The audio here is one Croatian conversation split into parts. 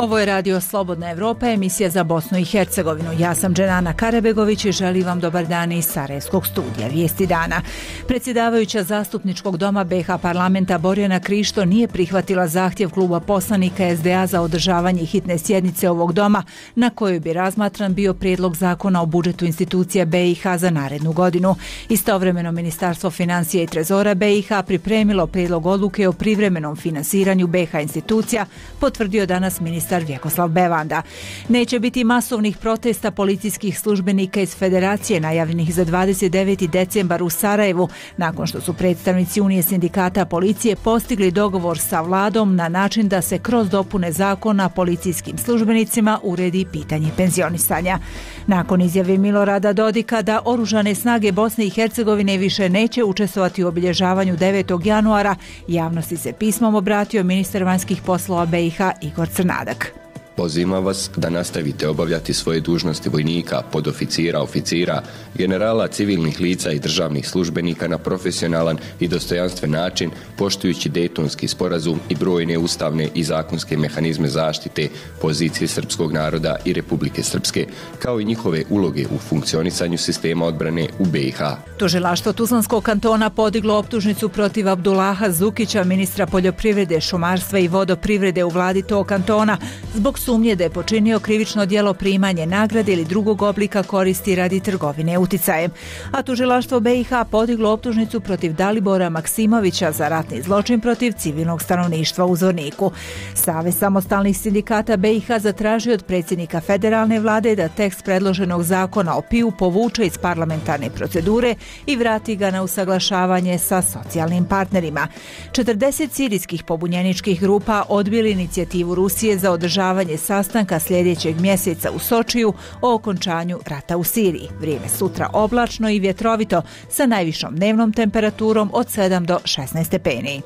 Ovo je Radio Slobodna Evropa, emisija za Bosnu i Hercegovinu. Ja sam Dženana Karabegović i želim vam dobar dan iz Sarajevskog studija. Vijesti dana. Predsjedavajuća Zastupničkog doma BiH parlamenta Borjana Krišto nije prihvatila zahtjev kluba poslanika SDA za održavanje hitne sjednice ovog doma, na kojoj bi razmatran bio prijedlog zakona o budžetu institucija BiH za narednu godinu. Istovremeno Ministarstvo financija i trezora BiH pripremilo prijedlog odluke o privremenom finansiranju BiH institucija, potvrdio danas ministar Vjekoslav Bevanda. Neće biti masovnih protesta policijskih službenika iz Federacije najavljenih za 29. decembar u Sarajevu, nakon što su predstavnici Unije sindikata policije postigli dogovor sa vladom na način da se kroz dopune zakona policijskim službenicima uredi pitanje penzionisanja. Nakon izjave Milorada Dodika da Oružane snage Bosne i Hercegovine više neće učestvovati u obilježavanju 9. januara, javnosti se pismom obratio ministar vanjskih poslova BiH Igor Crnadak. Pozivam vas da nastavite obavljati svoje dužnosti vojnika, podoficira, oficira, generala, civilnih lica i državnih službenika na profesionalan i dostojanstven način, poštujući Dejtonski sporazum i brojne ustavne i zakonske mehanizme zaštite pozicije srpskog naroda i Republike Srpske, kao i njihove uloge u funkcionisanju sistema odbrane u BiH. Tužilaštvo Tuzlanskog kantona podiglo optužnicu protiv Abdullaha Zukića, ministra poljoprivrede, šumarstva i vodoprivrede u vladi tog kantona, zbog sumnje da je počinio krivično djelo primanje nagrade ili drugog oblika koristi radi trgovine uticajem. A tužilaštvo BiH podiglo optužnicu protiv Dalibora Maksimovića za ratni zločin protiv civilnog stanovništva u Zvorniku. Savez samostalnih sindikata BiH zatražio od predsjednika federalne vlade da tekst predloženog zakona o PIU povuče iz parlamentarne procedure i vrati ga na usaglašavanje sa socijalnim partnerima. 40 sirijskih pobunjeničkih grupa odbili inicijativu Rusije za održavanje sastanka sljedećeg mjeseca u Sočiju o okončanju rata u Siriji. Vrijeme sutra oblačno i vjetrovito sa najvišom dnevnom temperaturom od 7 do 16 stepeni.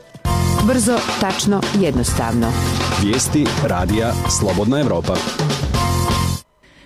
Brzo, tačno, jednostavno. Vijesti radija Slobodna Evropa.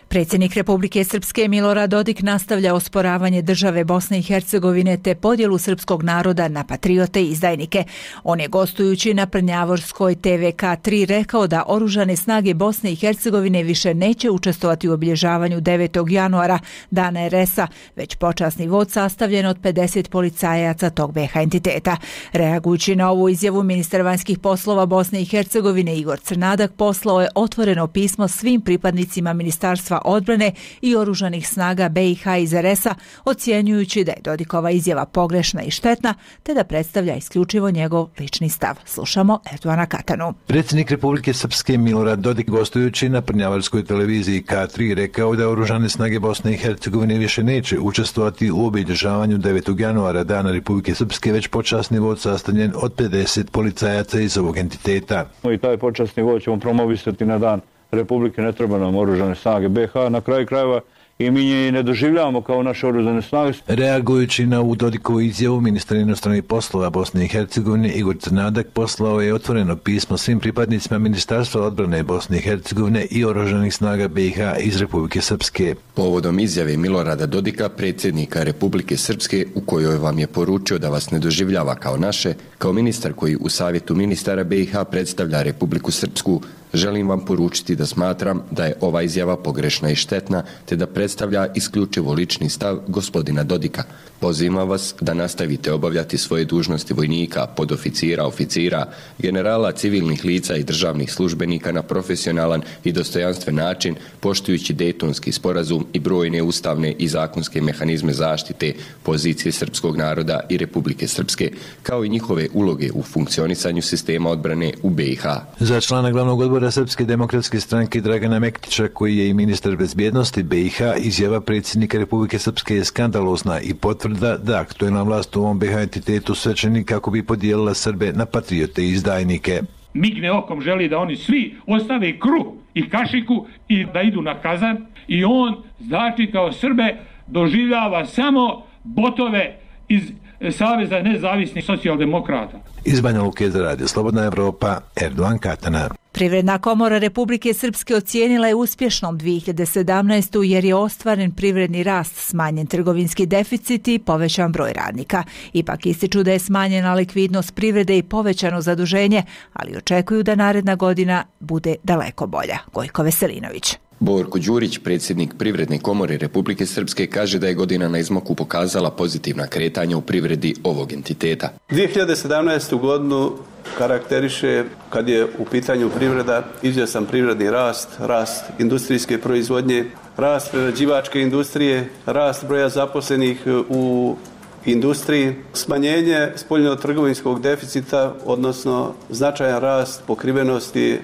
Predsjednik Republike Srpske Milorad Dodik nastavlja osporavanje države Bosne i Hercegovine te podjelu srpskog naroda na patriote i izdajnike. On je gostujući na Prnjavorskoj TVK3 rekao da Oružane snage Bosne i Hercegovine više neće učestvovati u obilježavanju 9. januara, dana RS-a, već počasni vod sastavljen od 50 policajaca tog BiH entiteta. Reagujući na ovu izjavu, ministar vanjskih poslova Bosne i Hercegovine Igor Crnadak poslao je otvoreno pismo svim pripadnicima Ministarstva odbrane i oružanih snaga BiH iz RS-a, ocjenjujući da je Dodikova izjava pogrešna i štetna, te da predstavlja isključivo njegov lični stav. Slušamo Erdoana Katanu. Predsjednik Republike Srpske Milorad Dodik, gostujući na Prnjavarskoj televiziji K3, rekao da Oružane snage Bosne i Hercegovine više neće učestvovati u obilježavanju 9. januara, dana Republike Srpske, već počasni vod sastavljen od 50 policajaca iz ovog entiteta. I taj počasni vod ćemo promovisati na dan Republike, ne treba nam Oružane snage BiH, na kraju krajeva i mi nje ne doživljavamo kao naše oružane snage. Reagujući na ovu Dodikovu izjavu, ministar inostranih poslova Bosne i Hercegovine Igor Crnadak poslao je otvoreno pismo svim pripadnicima Ministarstva odbrane Bosne i Hercegovine i oružanih snaga BiH iz Republike Srpske. Povodom izjave Milorada Dodika, predsjednika Republike Srpske, u kojoj vam je poručio da vas ne doživljava kao naše, kao ministar koji u savjetu ministara BiH predstavlja Republiku Srpsku, želim vam poručiti da smatram da je ova izjava pogrešna i štetna, te da predstavlja isključivo lični stav gospodina Dodika. Pozivam vas da nastavite obavljati svoje dužnosti vojnika, podoficira, oficira, generala, civilnih lica i državnih službenika na profesionalan i dostojanstven način, poštujući Dejtonski sporazum i brojne ustavne i zakonske mehanizme zaštite pozicije srpskog naroda i Republike Srpske, kao i njihove uloge u funkcionisanju sistema odbrane u BiH. Za člana glavnog odbora Srpske demokratske stranke Dragana Mektića, koji je i ministar bezbjednosti BiH, izjava predsjednika Republike Srpske je skandalozna i potvrda da aktuelna vlast u ovom BiH entitetu sve čini kako bi podijelila Srbe na patriote i izdajnike. Migne okom želi da oni svi ostave kruh i kašiku i da idu na kazan, i on, znači, kao Srbe doživljava samo botove iz Saveza nezavisnih socijaldemokrata. Iz Banja Luke za Radio Slobodna Evropa, Erdogan Katana. Privredna komora Republike Srpske ocijenila je uspješnom 2017. jer je ostvaren privredni rast, smanjen trgovinski deficit i povećan broj radnika. Ipak ističu da je smanjena likvidnost privrede i povećano zaduženje, ali očekuju da naredna godina bude daleko bolja. Gojko Veselinović. Borko Đurić, predsjednik Privredne komore Republike Srpske, kaže da je godina na izmaku pokazala pozitivna kretanja u privredi ovog entiteta. 2017. godinu karakteriše, kad je u pitanju privreda, izvjestan privredni rast industrijske proizvodnje, rast prerađivačke industrije, rast broja zaposlenih u industriji, smanjenje spoljno-trgovinskog deficita, odnosno značajan rast pokrivenosti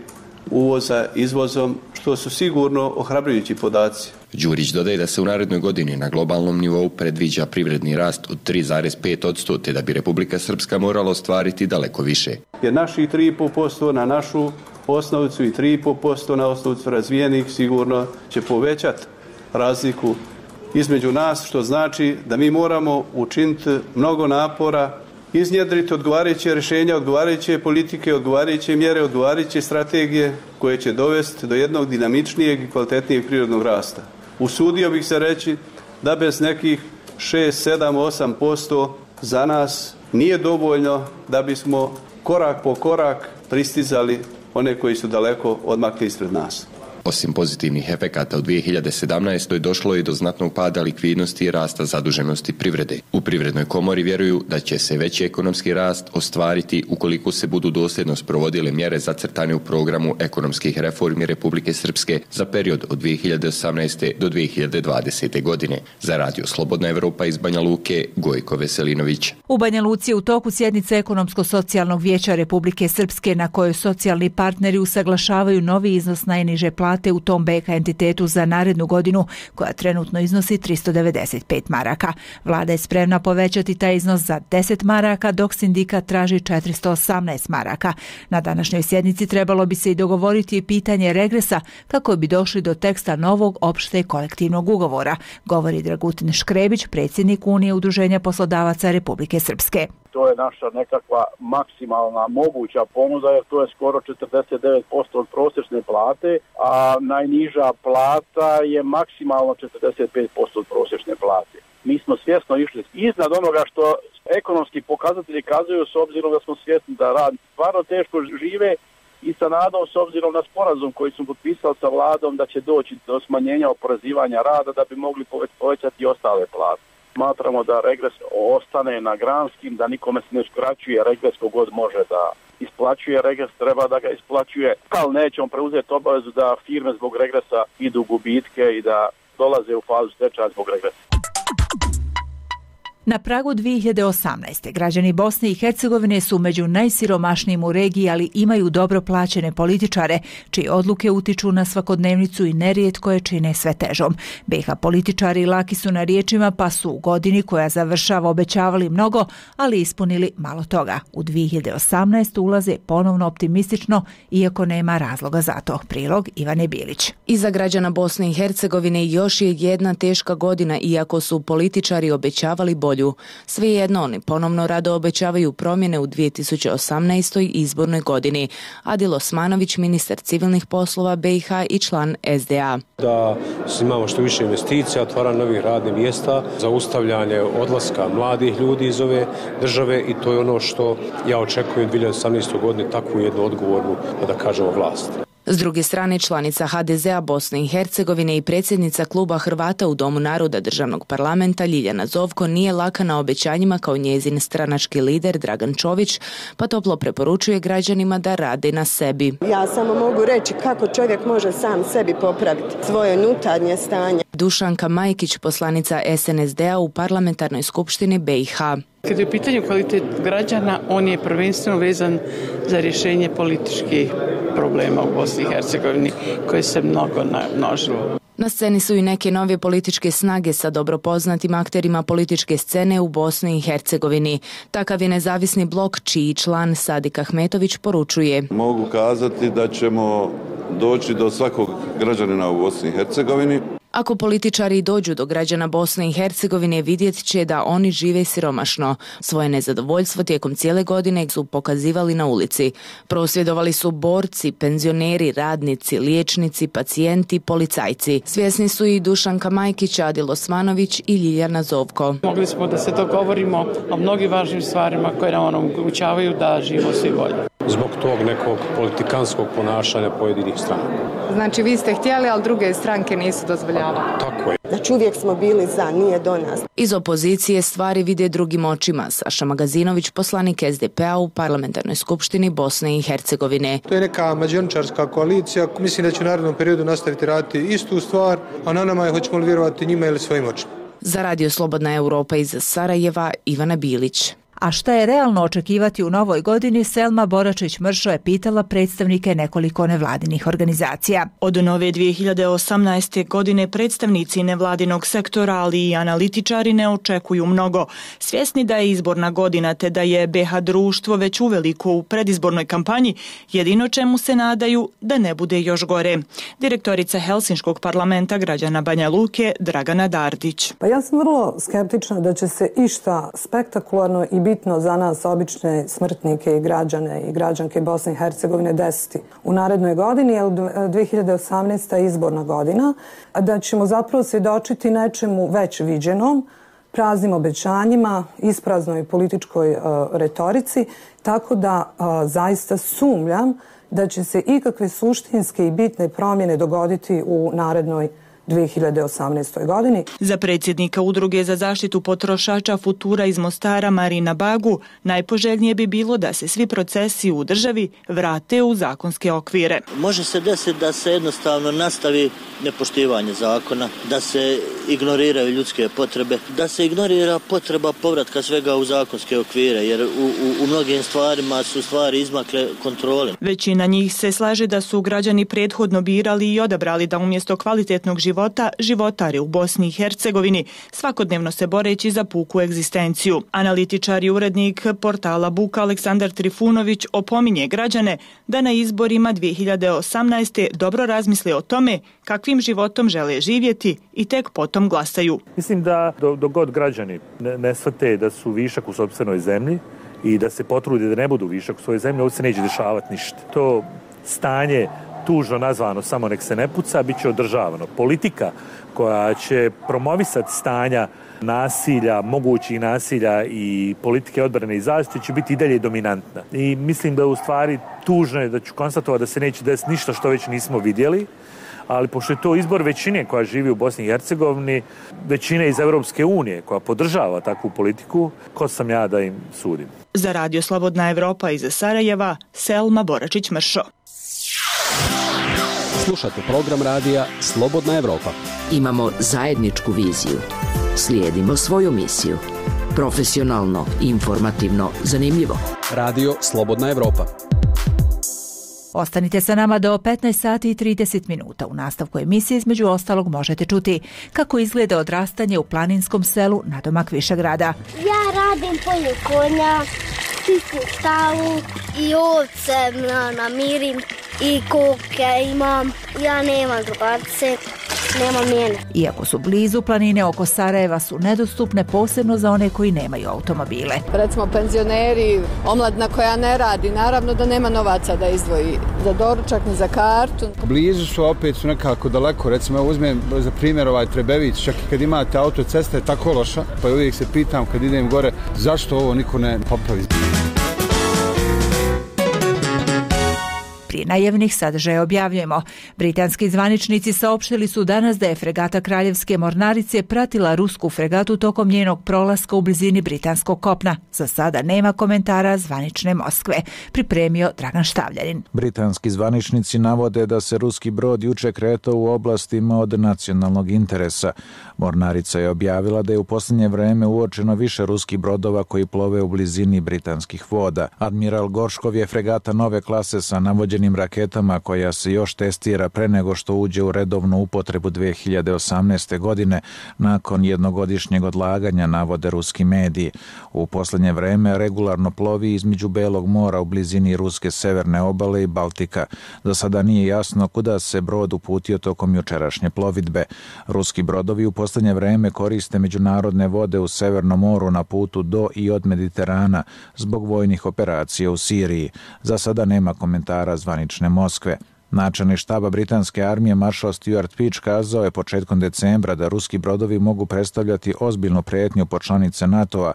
uvoza izvozom, što su sigurno ohrabrujući podaci. Đurić dodaje da se u narednoj godini na globalnom nivou predviđa privredni rast od 3,5%, te da bi Republika Srpska morala ostvariti daleko više. Jer naših 3,5% na našu osnovicu i 3,5% na osnovicu razvijenih sigurno će povećati razliku između nas, što znači da mi moramo učiniti mnogo napora, iznjedriti odgovarajuće rješenja, odgovarajuće politike, odgovarajuće mjere, odgovarajuće strategije koje će dovesti do jednog dinamičnijeg i kvalitetnijeg prirodnog rasta. Usudio bih se reći da bez nekih 6, 7, 8% za nas nije dovoljno da bismo korak po korak pristizali one koji su daleko odmakli ispred nas. Osim pozitivnih efekata u 2017. došlo je do znatnog pada likvidnosti i rasta zaduženosti privrede. U Privrednoj komori vjeruju da će se veći ekonomski rast ostvariti ukoliko se budu dosljedno sprovodile mjere zacrtane u programu ekonomskih reformi Republike Srpske za period od 2018. do 2020. godine. Za Radio Slobodna Evropa iz Banja Luke, Gojko Veselinović. U Banja Luci je u toku sjednice Ekonomsko-socijalnog vijeća Republike Srpske na kojoj socijalni partneri usaglašavaju novi iznos najniže plate u tom BK entitetu za narednu godinu, koja trenutno iznosi 395 maraka. Vlada je spremna povećati taj iznos za 10 maraka, dok sindikat traži 418 maraka. Na današnjoj sjednici trebalo bi se i dogovoriti pitanje regresa kako bi došli do teksta novog opšte kolektivnog ugovora, govori Dragutin Škrebić, predsjednik Unije udruženja poslodavaca Republike Srpske. To je naša nekakva maksimalna moguća ponuda, jer to je skoro 49% od prosječne plate, a najniža plata je maksimalno 45% od prosječne plate. Mi smo svjesno išli iznad onoga što ekonomski pokazatelji kazuju, s obzirom da smo svjesni da radnici stvarno teško žive, i sa nadom, s obzirom na sporazum koji smo potpisali sa vladom, da će doći do smanjenja oporezivanja rada da bi mogli povećati i ostale plate. Smatramo da regres ostane na granskim, da nikome se ne uskraćuje regres kogod može da isplaćuje regres, treba da ga isplaćuje, ali nećemo preuzeti obavezu da firme zbog regresa idu u gubitke i da dolaze u fazu stečaja zbog regresa. Na pragu 2018. građani Bosne i Hercegovine su među najsiromašnijim u regiji, ali imaju dobro plaćene političare, čije odluke utiču na svakodnevnicu i nerijetko je čine sve težom. BiH političari laki su na riječima, pa su u godini koja završava obećavali mnogo, ali ispunili malo toga. U 2018. ulaze ponovno optimistično, iako nema razloga za to. Prilog Ivane Bilić. Iza građana Bosne i Hercegovine još je jedna teška godina, iako su političari obećavali bolju. Svejedno, oni ponovno rado obećavaju promjene u 2018. izbornoj godini. Adil Osmanović, ministar civilnih poslova BiH i član SDA. Da imamo što više investicija, otvaranje novih radnih mjesta, zaustavljanje odlaska mladih ljudi iz ove države, i to je ono što ja očekujem u 2018. godini, takvu jednu odgovornu, da kažemo, vlast. S druge strane, članica HDZ-a Bosne i Hercegovine i predsjednica kluba Hrvata u Domu naroda državnog parlamenta Ljiljana Zovko nije laka na obećanjima kao njezin stranački lider Dragan Čović, pa toplo preporučuje građanima da rade na sebi. Ja samo mogu reći kako čovjek može sam sebi popraviti svoje unutarnje stanje. Dušanka Majkić, poslanica SNSD-a u parlamentarnoj skupštini BiH. Kad je u pitanju kvalitet građana, on je prvenstveno vezan za rješenje političkih problema u Bosni i Hercegovini, koje se mnogo namnožilo. Na sceni su i neke nove političke snage sa dobro poznatim akterima političke scene u Bosni i Hercegovini. Takav je nezavisni blok, čiji član Sadik Ahmetović poručuje. Mogu kazati da ćemo doći do svakog građanina u Bosni i Hercegovini. Ako političari dođu do građana Bosne i Hercegovine, vidjet će da oni žive siromašno. Svoje nezadovoljstvo tijekom cijele godine su pokazivali na ulici. Prosvjedovali su borci, penzioneri, radnici, liječnici, pacijenti, policajci. Svjesni su i Dušanka Majkić, Adil Osmanović i Ljiljana Zovko. Mogli smo da se dogovorimo o mnogim važnim stvarima koje nam omogućavaju da živimo svi bolje. Zbog tog nekog politikanskog ponašanja pojedinih stranaka. Znači vi ste htjeli, ali druge stranke nisu dozvoljavale. Tako je. Znači uvijek smo bili za, nije do nas. Iz opozicije stvari vide drugim očima. Saša Magazinović, poslanik SDP-a u Parlamentarnoj skupštini Bosne i Hercegovine. To je neka mađioničarska koalicija. Mislim da će u narednom periodu nastaviti raditi istu stvar, a na nama je hoćemo li vjerovati njima ili svojim očima. Za Radio Slobodna Europa iz Sarajeva, Ivana Bilić. A šta je realno očekivati u novoj godini, Selma Boračić-Mršo je pitala predstavnike nekoliko nevladinih organizacija. Od nove 2018. godine predstavnici nevladinog sektora, ali i analitičari ne očekuju mnogo. Svjesni da je izborna godina te da je BH društvo već uveliko u predizbornoj kampanji, jedino čemu se nadaju da ne bude još gore. Direktorica Helsinškog parlamenta građana Banja Luke, Dragana Dardić. Pa ja sam vrlo skeptična da će se išta spektakularno i bitno za nas, obične smrtnike i građane i građanke Bosne i Hercegovine desiti u narednoj godini, jer 2018. je izborna godina, da ćemo zapravo svjedočiti nečemu već viđenom, praznim obećanjima, ispraznoj političkoj retorici, tako da zaista sumnjam da će se ikakve suštinske i bitne promjene dogoditi u narednoj 2018. godini. Za predsjednika Udruge za zaštitu potrošača Futura iz Mostara Marina Bagu najpoželjnije bi bilo da se svi procesi u državi vrate u zakonske okvire. Može se desiti da se jednostavno nastavi nepoštivanje zakona, da se ignoriraju ljudske potrebe, da se ignorira potreba povratka svega u zakonske okvire, jer u mnogim stvarima su stvari izmakle kontrole. Većina njih se slaže da su građani prethodno birali i odabrali da umjesto kvalitetnog životare u Bosni i Hercegovini, svakodnevno se boreći za puku egzistenciju. Analitičar i urednik portala Buka Aleksandar Trifunović opominje građane da na izborima 2018. dobro razmisle o tome kakvim životom žele živjeti i tek potom glasaju. Mislim da dok god građani ne shvate da su višak u sopstvenoj zemlji i da se potrude da ne budu višak u svojoj zemlji, ovdje se neće dešavati ništa. To stanje tužno nazvano samo nek se ne puca, bit će održavano. Politika koja će promovisati stanja nasilja, mogućih nasilja i politike odbrane i zaštite će biti i dalje dominantna. I mislim da u stvari tužno je da ću konstatovati da se neće desiti ništa što već nismo vidjeli, ali pošto je to izbor većine koja živi u Bosni i Hercegovini, većine iz Europske unije koja podržava takvu politiku, ko sam ja da im sudim. Za Radio Slobodna Evropa iz Sarajeva, Selma Boračić-Mršo. Slušate program radija Slobodna Evropa. Imamo zajedničku viziju. Slijedimo svoju misiju. Profesionalno, informativno, zanimljivo. Radio Slobodna Evropa. Ostanite sa nama do 15 sati i 30 minuta. U nastavku emisije između ostalog možete čuti kako izgleda odrastanje u planinskom selu nadomak Višegrada. Ja radim polje konja, čistim štalu i ovce namirim i koke imam. Ja nemam drugarce, nemam njene. Iako su blizu, planine oko Sarajeva su nedostupne, posebno za one koji nemaju automobile. Recimo penzioneri, omladina koja ne radi, naravno da nema novaca da izdvoji za doručak ni za kartu. Blizu su, opet su nekako daleko. Recimo, ja uzmem za primjer Trebević, čak i kad imate autocesta je tako loša, pa uvijek se pitam kad idem gore zašto ovo niko ne popravi. Prije najavnih sadržaja objavljujemo. Britanski zvaničnici saopštili su danas da je fregata Kraljevske mornarice pratila rusku fregatu tokom njenog prolaska u blizini britanskog kopna. Za sada nema komentara zvanične Moskve. Pripremio Dragan Štavljanin. Britanski zvaničnici navode da se ruski brod juče kretao u oblastima od nacionalnog interesa. Mornarica je objavila da je u posljednje vreme uočeno više ruskih brodova koji plove u blizini britanskih voda. Admiral Gorškov je fregata nove klase sa navođenim borbenim raketama koja se još testira pre nego što uđe u redovnu upotrebu 2018. godine nakon jednogodišnjeg odlaganja, navode ruski mediji. U posljednje vreme regularno plovi između Belog mora u blizini ruske severne obale i Baltika. Do sada nije jasno kuda se brod uputio tokom jučerašnje plovidbe. Ruski brodovi u posljednje vreme koriste međunarodne vode u Severnom moru na putu do i od Mediterana zbog vojnih operacija u Siriji. Za sada nema komentara zvanične Moskve. Načelnik štaba britanske armije maršal Stuart Peach kazao je početkom decembra da ruski brodovi mogu predstavljati ozbiljnu prijetnju po članice NATO-a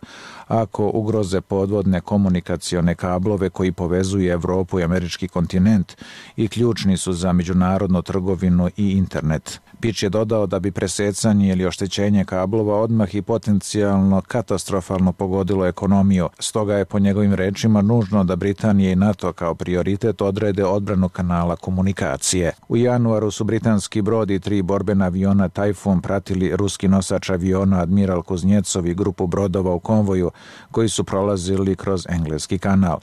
ako ugroze podvodne komunikacione kablove koji povezuju Evropu i američki kontinent i ključni su za međunarodnu trgovinu i internet. Peach je dodao da bi presecanje ili oštećenje kablova odmah i potencijalno katastrofalno pogodilo ekonomiju. Stoga je po njegovim rečima nužno da Britanija i NATO kao prioritet odrede odbranu kanala komunikacije. U januaru su britanski brod i 3 borbena aviona Tajfun pratili ruski nosač aviona Admiral Kuznjecov i grupu brodova u konvoju koji su prolazili kroz Engleski kanal.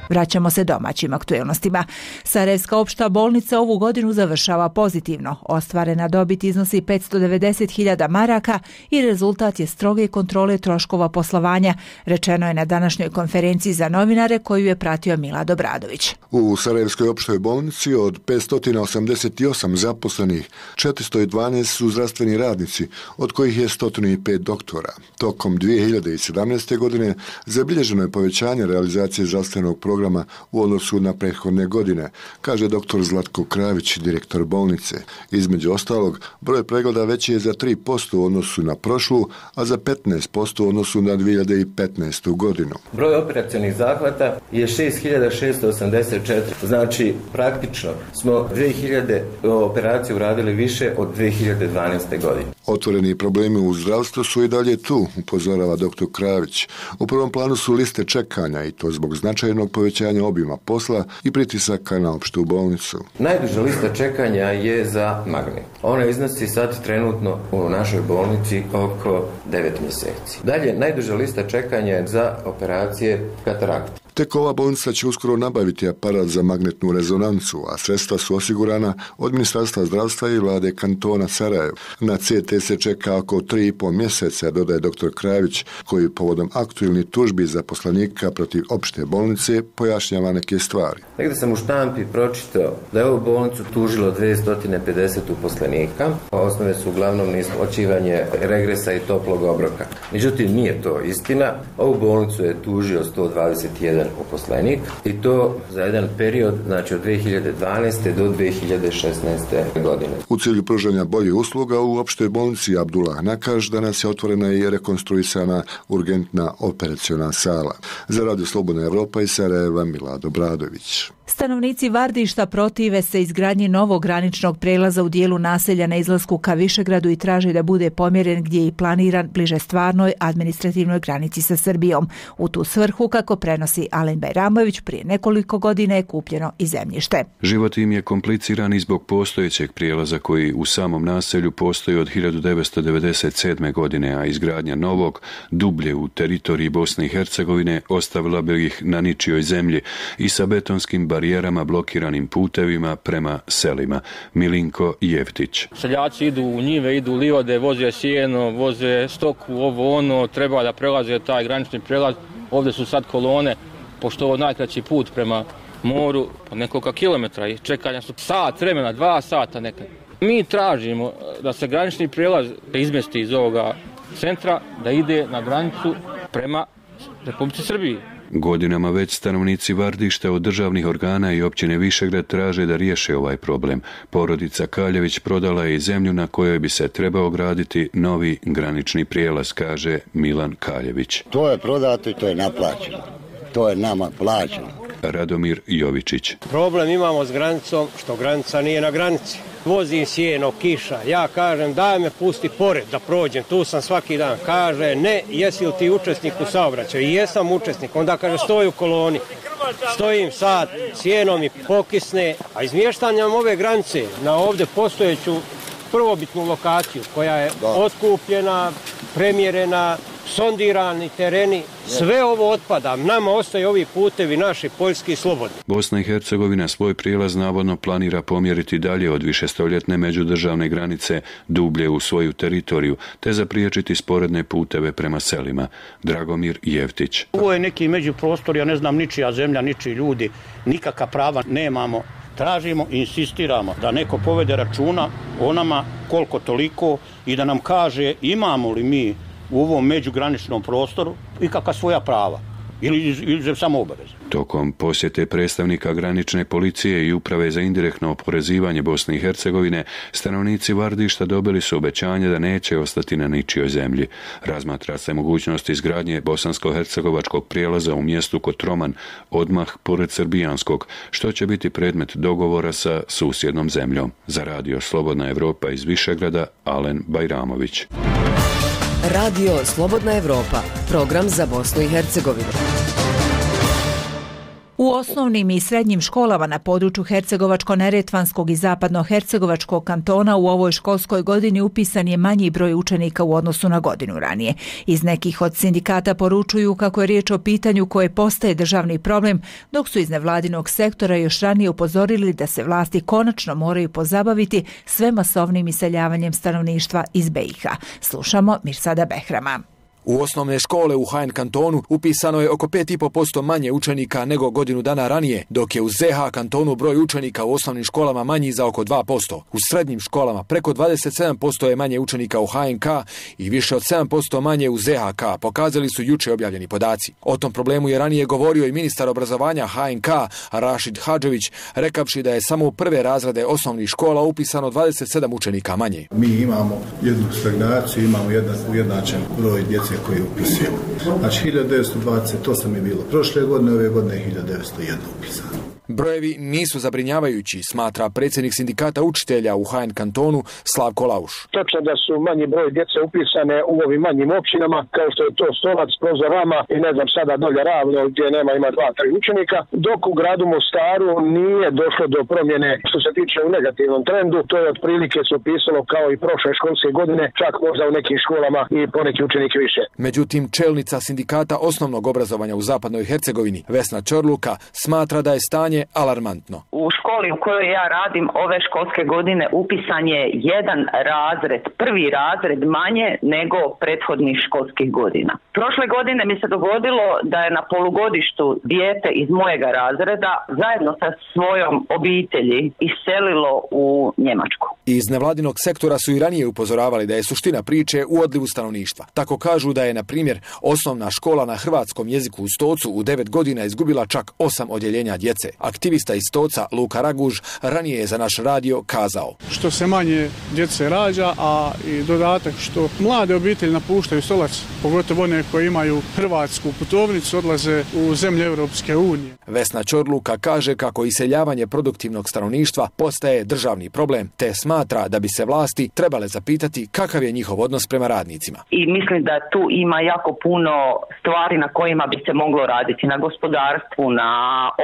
Vraćamo se domaćim aktuelnostima. Sarajevska opšta bolnica ovu godinu završava pozitivno. Ostvarena dobit iznosi 590.000 maraka i rezultat je stroge kontrole troškova poslovanja, rečeno je na današnjoj konferenciji za novinare koju je pratio Milad Obradović. U Sarajevskoj opštoj bolnici od 588 zaposlenih, 412 su zdravstveni radnici, od kojih je 105 doktora. Tokom 2017. godine zabilježeno je povećanje realizacije zdravstvenog programa u odnosu na prethodne godine, kaže dr. Zlatko Kravić, direktor bolnice. Između ostalog, broj pregleda veći je za 3% u odnosu na prošlu, a za 15% u odnosu na 2015. godinu. Broj operacionih zahvata je 6684, znači praktično smo 2000 operacija uradili više od 2012. godine. Otvoreni problemi u zdravstvu su i dalje tu, upozorava dr. Kravić. U prvom planu su liste čekanja i to zbog značajnog povećanja obima posla i pritisaka na opštu bolnicu. Najduža lista čekanja je za magnet. Ona iznosi sad trenutno u našoj bolnici oko 9 mjeseci. Dalje, najduža lista čekanja je za operacije katarakte. Tek ova bolnica će uskoro nabaviti aparat za magnetnu rezonancu, a sredstva su osigurana od Ministarstva zdravstva i vlade kantona Sarajevo. Na CT se čeka oko 3,5 mjeseca, dodaje dr. Kravić, koji povodom aktualnih tužbi zaposlenika protiv opšte bolnice pojašnjava neke stvari. Negdje sam u štampi pročitao da je ovu bolnicu tužilo 250 uposlenika. Osnove su uglavnom neisplaćivanje regresa i toplog obroka. Međutim, nije to istina. Ovu bolnicu je tužio 121 uposlenik i to za jedan period, znači od 2012. do 2016. godine. U cilju pružanja boljih usluga u opštoj bolnici Abdullah Nakaš danas je otvorena i rekonstruisana urgentna operaciona sala. Za Radio Slobodna Evropa iz Sarajeva, Milad Obradović. Stanovnici Vardišta protive se izgradnji novog graničnog prelaza u dijelu naselja na izlasku ka Višegradu i traže da bude pomjeren gdje je i planiran bliže stvarnoj administrativnoj granici sa Srbijom. U tu svrhu, kako prenosi Alen Bajramović, prije nekoliko godina je kupljeno i zemljište. Život im je kompliciran i zbog postojećeg prijelaza koji u samom naselju postoji od 1997. godine, a izgradnja novog, dublje u teritoriji Bosne i Hercegovine, ostavila bi ih na ničijoj zemlji i sa betonskim barijerama blokiranim putevima prema selima. Milinko Jeftić. Seljaci idu u njive, idu u livade, voze sjeno, voze stoku, ovo ono, treba da prelaze taj granični prelaz. Ovdje su sad kolone, pošto ovo najkraći put prema moru, po nekoliko kilometra i čekanja su sat vremena, 2 sata nekad. Mi tražimo da se granični prelaz izmesti iz ovoga centra, da ide na granicu prema Republici Srbiji. Godinama već stanovnici Vardišta od državnih organa i općine Višegrad traže da riješe ovaj problem. Porodica Kaljević prodala je i zemlju na kojoj bi se trebao graditi novi granični prijelaz, kaže Milan Kaljević. To je prodato i to je naplaćeno. To je nama plaćeno. Radomir Jovičić. Problem imamo s granicom što granica nije na granici. Vozim sjeno, kiša, ja kažem daj me pusti pored da prođem, tu sam svaki dan. Kaže ne, jesi li ti učesnik u saobraćaju? I jesam učesnik, onda kaže stoj u koloni. Stojim sat, sjeno mi pokisne, a izmještanjem ove granice na ovdje postojeću prvobitnu lokaciju koja je otkupljena, premjerena, sondirani tereni, sve ovo otpada. Nama ostaju ovi putevi naši poljski slobodni. Bosna i Hercegovina svoj prijelaz navodno planira pomjeriti dalje od višestoljetne međudržavne granice dublje u svoju teritoriju, te zapriječiti sporedne puteve prema selima. Dragomir Jevtić. Ovo je neki međuprostor, ja ne znam, ničija zemlja, ničiji ljudi, nikakva prava nemamo. Tražimo i insistiramo da neko povede računa o nama koliko toliko i da nam kaže imamo li mi u ovom međugraničnom prostoru i kakva svoja prava ili samo obaveze. Tokom posjete predstavnika granične policije i uprave za indirektno oporezivanje Bosne i Hercegovine, stanovnici Vardišta dobili su obećanje da neće ostati na ničijoj zemlji. Razmatra se mogućnost izgradnje bosansko-hercegovačkog prijelaza u mjestu Kotroman, odmah pored srbijanskog, što će biti predmet dogovora sa susjednom zemljom. Za radio Slobodna Evropa iz Višegrada, Alen Bajramović. Radio Slobodna Evropa, program za Bosnu i Hercegovinu. U osnovnim i srednjim školama na području Hercegovačko-neretvanskog i Zapadno-hercegovačkog kantona u ovoj školskoj godini upisan je manji broj učenika u odnosu na godinu ranije. Iz nekih od sindikata poručuju kako je riječ o pitanju koje postaje državni problem, dok su iz nevladinog sektora još ranije upozorili da se vlasti konačno moraju pozabaviti sve masovnim iseljavanjem stanovništva iz BiH. Slušamo Mirsada Behrama. U osnovne škole u HN kantonu upisano je oko 5,5% manje učenika nego godinu dana ranije, dok je u ZH kantonu broj učenika u osnovnim školama manji za oko 2%. U srednjim školama preko 27% je manje učenika u HNK i više od 7% manje u ZHK, pokazali su juče objavljeni podaci. O tom problemu je ranije govorio i ministar obrazovanja HNK Rašid Hadžević, rekavši da je samo u prve razrede osnovnih škola upisano 27 učenika manje. Mi imamo jednu stagnaciju, imamo jedan ujednačen broj djece koji upisujemo. Znači 1928 je bilo prošle godine, ove godine je 1901 upisano. Brojevi nisu zabrinjavajući, smatra predsjednik sindikata učitelja u HN kantonu Slavko Lauš. Točno da su manji broj djece upisane u ovim manjim općinama, kao što je to Stolac, Prozorama i ne znam sada dolje Ravno gdje ima 2-3 učenika, dok u gradu Mostaru nije došlo do promjene što se tiče u negativnom trendu. To je otprilike se upisalo kao i prošle školske godine, čak možda u nekim školama i poneki učenik više. Međutim, čelnica sindikata osnovnog obrazovanja u Zapadnoj Hercegovini Vesna Čorluka smatra da je stanje alarmantno. U školi u kojoj ja radim ove školske godine upisan je jedan razred, prvi razred manje nego prethodnih školskih godina. Prošle godine mi se dogodilo da je na polugodištu dijete iz mojega razreda zajedno sa svojom obitelji iselilo u Njemačku. Iz nevladinog sektora su i ranije upozoravali da je suština priče u odlivu stanovništva. Tako kažu da je, na primjer, osnovna škola na hrvatskom jeziku u Stocu u 9 godina izgubila čak 8 odjeljenja djece. Aktivista iz Stoca Luka Raguž ranije je za naš radio kazao: što se manje djece rađa, a i dodatak što mlade obitelji napuštaju Stolac, pogotovo one koje imaju hrvatsku putovnicu, odlaze u zemlje Europske unije. Vesna Čorluka kaže kako iseljavanje produktivnog stanovništva postaje državni problem, te smatra da bi se vlasti trebale zapitati kakav je njihov odnos prema radnicima. I mislim da tu ima jako puno stvari na kojima bi se moglo raditi, na gospodarstvu, na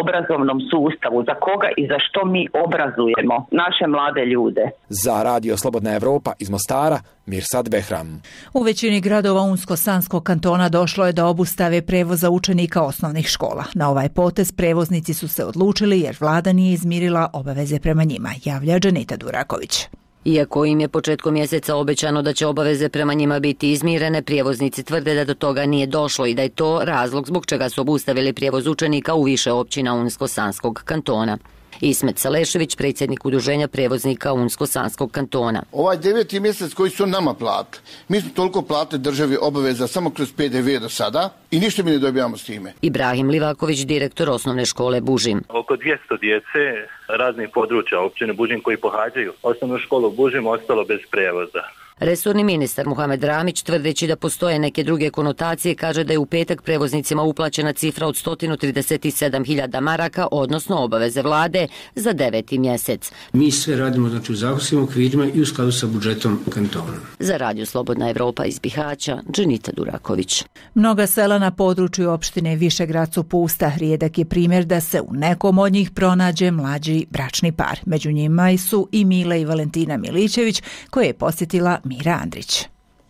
obrazovnom sustavu, za koga i za što mi obrazujemo naše mlade ljude. Za radio Slobodna Evropa iz Mostara, Mirsad Behram. U većini gradova Unsko-Sanskog kantona došlo je do obustave prevoza učenika osnovnih škola. Na ovaj potez prevoznici su se odlučili jer vlada nije izmirila obaveze prema njima, javlja Dženita Duraković. Iako im je početkom mjeseca obećano da će obaveze prema njima biti izmirene, prijevoznici tvrde da do toga nije došlo i da je to razlog zbog čega su obustavili prijevoz učenika u više općina Unsko-Sanskog kantona. Ismet Salešević, predsjednik udruženja prevoznika Unsko-Sanskog kantona. Ovaj 9. mjesec koji su nama platili, mi smo toliko platili državi obaveza samo kroz PDV do sada i ništa mi ne dobijamo s time. Ibrahim Livaković, direktor osnovne škole Bužim. Oko 200 djece raznih područja općine Bužim koji pohađaju osnovnu školu Bužim ostalo bez prijevoza. Resorni ministar Muhamed Ramić, tvrdeći da postoje neke druge konotacije, kaže da je u petak prevoznicima uplaćena cifra od 137.000 maraka, odnosno obaveze vlade za 9. mjesec. Mi sve radimo u zakonskim okvirima i u skladu sa budžetom kantona. Za radio Slobodna Evropa iz Bihaća, Dženita Duraković. Mnoga sela na području opštine Višegrad su pusta. Rijedak je primjer da se u nekom od njih pronađe mlađi bračni par. Među njima su i Mila i Valentina Milićević, koje je posjetila Mira Andrić.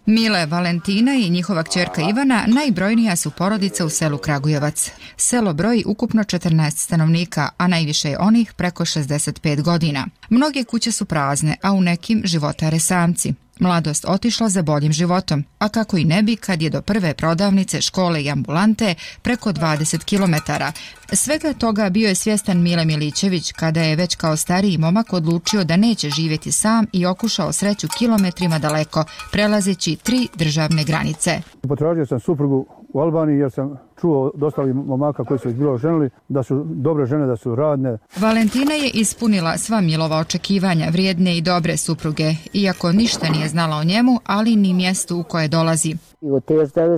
Mile, Valentina i njihova kćerka Ivana najbrojnija su porodica u selu Kragujevac. Selo broji ukupno 14 stanovnika, a najviše je onih preko 65 godina. Mnoge kuće su prazne, a u nekim životare samci. Mladost otišla za boljim životom, a kako i ne bi kad je do prve prodavnice, škole i ambulante preko 20 kilometara. Svega toga bio je svjestan Mile Milićević kada je već kao stariji momak odlučio da neće živjeti sam i okušao sreću kilometrima daleko, prelazeći 3 državne granice. Potražio sam suprugu u Albaniji jer sam čuo od ostalih momaka koji su bilo ženili da su dobre žene, da su radne. Valentina je ispunila sva Milova očekivanja, vrijedne i dobre supruge, iako ništa nije znala o njemu, ali ni mjestu u koje dolazi.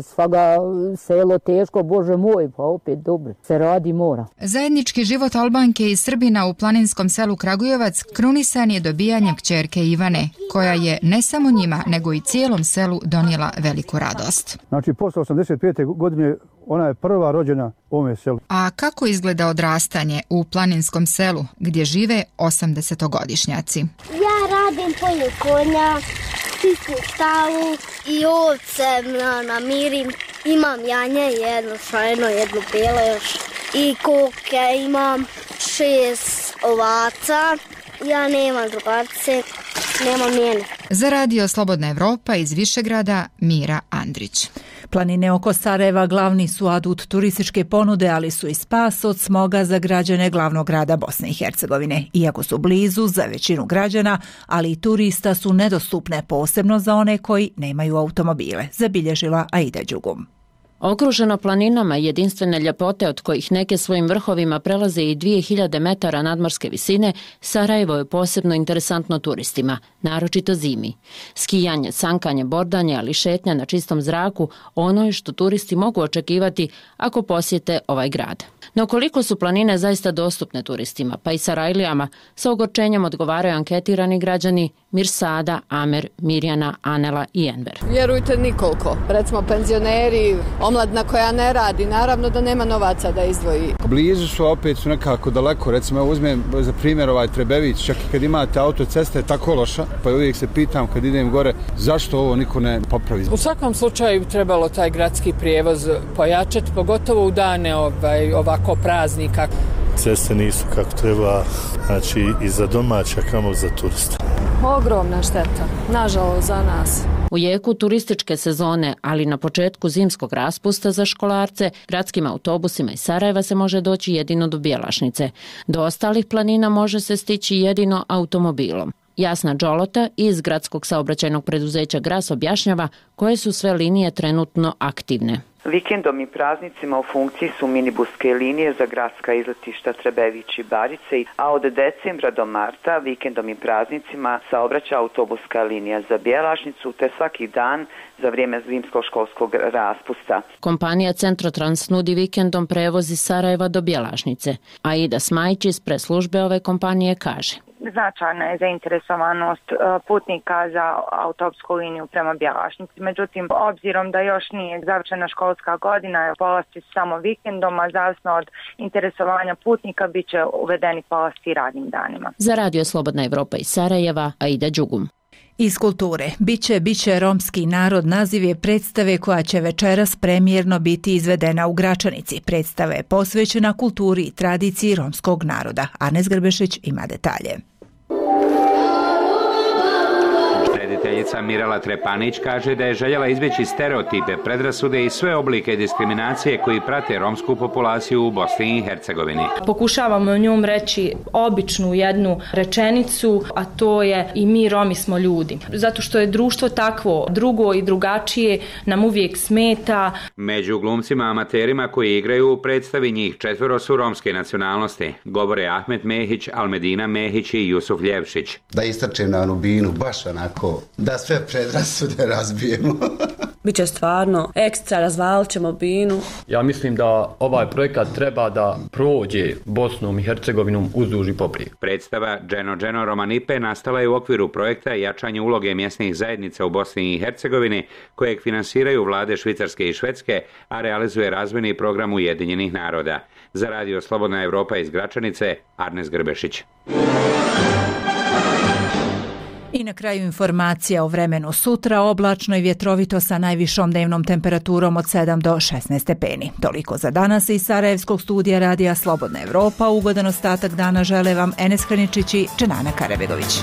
Svaga selo teško, Bože moj, pa opet dobro. Se radi mora. Zajednički život Albanke i Srbina u planinskom selu Kragujevac krunisan je dobijanjem kćerke Ivane, koja je ne samo njima, nego i cijelom selu donijela veliku radost. Znači, posle 85. godine ona je prva rođena u ovome selu. A kako izgleda odrastanje u planinskom selu gdje žive 80-godišnjaci? Ja radim polju konja, čistim stavu i ovce namirim. Imam janje, jedno šajno, jedno bijelo još. I koke imam 6 ovaca. Ja nemam drugarce, nemam njene. Za Radio Slobodna Evropa iz Višegrada, Mira Andrić. Planine oko Sarajeva glavni su adut turističke ponude, ali su i spas od smoga za građane glavnog grada Bosne i Hercegovine. Iako su blizu za većinu građana, ali i turista su nedostupne, posebno za one koji nemaju automobile, zabilježila Aida Đugum. Okruženo planinama jedinstvene ljepote od kojih neke svojim vrhovima prelaze i 2000 metara nadmorske visine, Sarajevo je posebno interesantno turistima, naročito zimi. Skijanje, sankanje, bordanje, ali šetnja na čistom zraku, ono je što turisti mogu očekivati ako posjete ovaj grad. No koliko su planine zaista dostupne turistima, pa i Sarajlijama, sa ogorčenjem odgovaraju anketirani građani Mirsada, Amer, Mirjana, Anela i Enver. Vjerujte, nikoliko. Recimo penzioneri, omladina koja ne radi, naravno da nema novaca da izdvoji. Blizu su, opet su nekako daleko. Recimo, uzmem za primjer Trebević, čak i kad imate autoceste je tako loša, pa uvijek se pitam kad idem gore zašto ovo niko ne popravi. U svakom slučaju trebalo taj gradski prijevoz pojačati, pogotovo u dane ovako praznika. Ceste nisu kako treba, znači i za domaća, kamo za turista. Ogromna šteta, nažalost za nas. U jeku turističke sezone, ali na početku zimskog raspusta za školarce, gradskim autobusima iz Sarajeva se može doći jedino do Bjelašnice. Do ostalih planina može se stići jedino automobilom. Jasna Đolota iz gradskog saobraćajnog preduzeća Gras objašnjava koje su sve linije trenutno aktivne. Vikendom i praznicima u funkciji su minibuske linije za gradska izletišta Trebević i Barice, a od decembra do marta vikendom i praznicima saobraća autobuska linija za Bjelašnicu te svaki dan za vrijeme zimskog školskog raspusta. Kompanija Centrotrans nudi vikendom prevoz iz Sarajeva do Bjelašnice. Aida Smajić iz preslužbe ove kompanije kaže: značajna je zainteresovanost putnika za autobusku liniju prema Bjelašnici. Međutim, obzirom da još nije završena školska godina, polasti samo vikendom, a zavisno od interesovanja putnika bit će uvedeni polasti radnim danima. Za Radio Slobodna Evropa iz Sarajeva, Aida Đugum. Iz kulture. Biće romski narod naziv je predstave koja će večeras premijerno biti izvedena u Gračanici. Predstava je posvećena kulturi i tradiciji romskog naroda. Arnes Grbešić ima detalje. Rediteljica Mirela Trepanić kaže da je željela izbjeći stereotipe, predrasude i sve oblike diskriminacije koji prate romsku populaciju u Bosni i Hercegovini. Pokušavamo njom reći običnu jednu rečenicu, a to je i mi Romi smo ljudi. Zato što je društvo takvo, drugo i drugačije nam uvijek smeta. Među glumcima amaterima koji igraju u predstavi njih 4 su romske nacionalnosti. Govore Ahmet Mehić, Almedina Mehić i Jusuf Ljevšić. Da istrčem na onu binu, baš onako, da sve predrasude razbijemo. Biće stvarno ekstra, razvalit ćemo binu. Ja mislim da ovaj projekat treba da prođe Bosnom i Hercegovinom uzduž i poprijek. Predstava Dženo Romanipe nastala je u okviru projekta jačanje uloge mjesnih zajednica u Bosni i Hercegovini, kojeg finansiraju vlade Švicarske i Švedske, a realizuje razvojni program Ujedinjenih naroda. Za Radio Slobodna Evropa iz Gračanice, Arnes Grbešić. I na kraju informacija o vremenu sutra, oblačno i vjetrovito sa najvišom dnevnom temperaturom od 7 do 16 stepeni. Toliko za danas iz Sarajevskog studija radija Slobodna Evropa. Ugodan ostatak dana žele vam Enes Hraničić i Dženana Karabegović.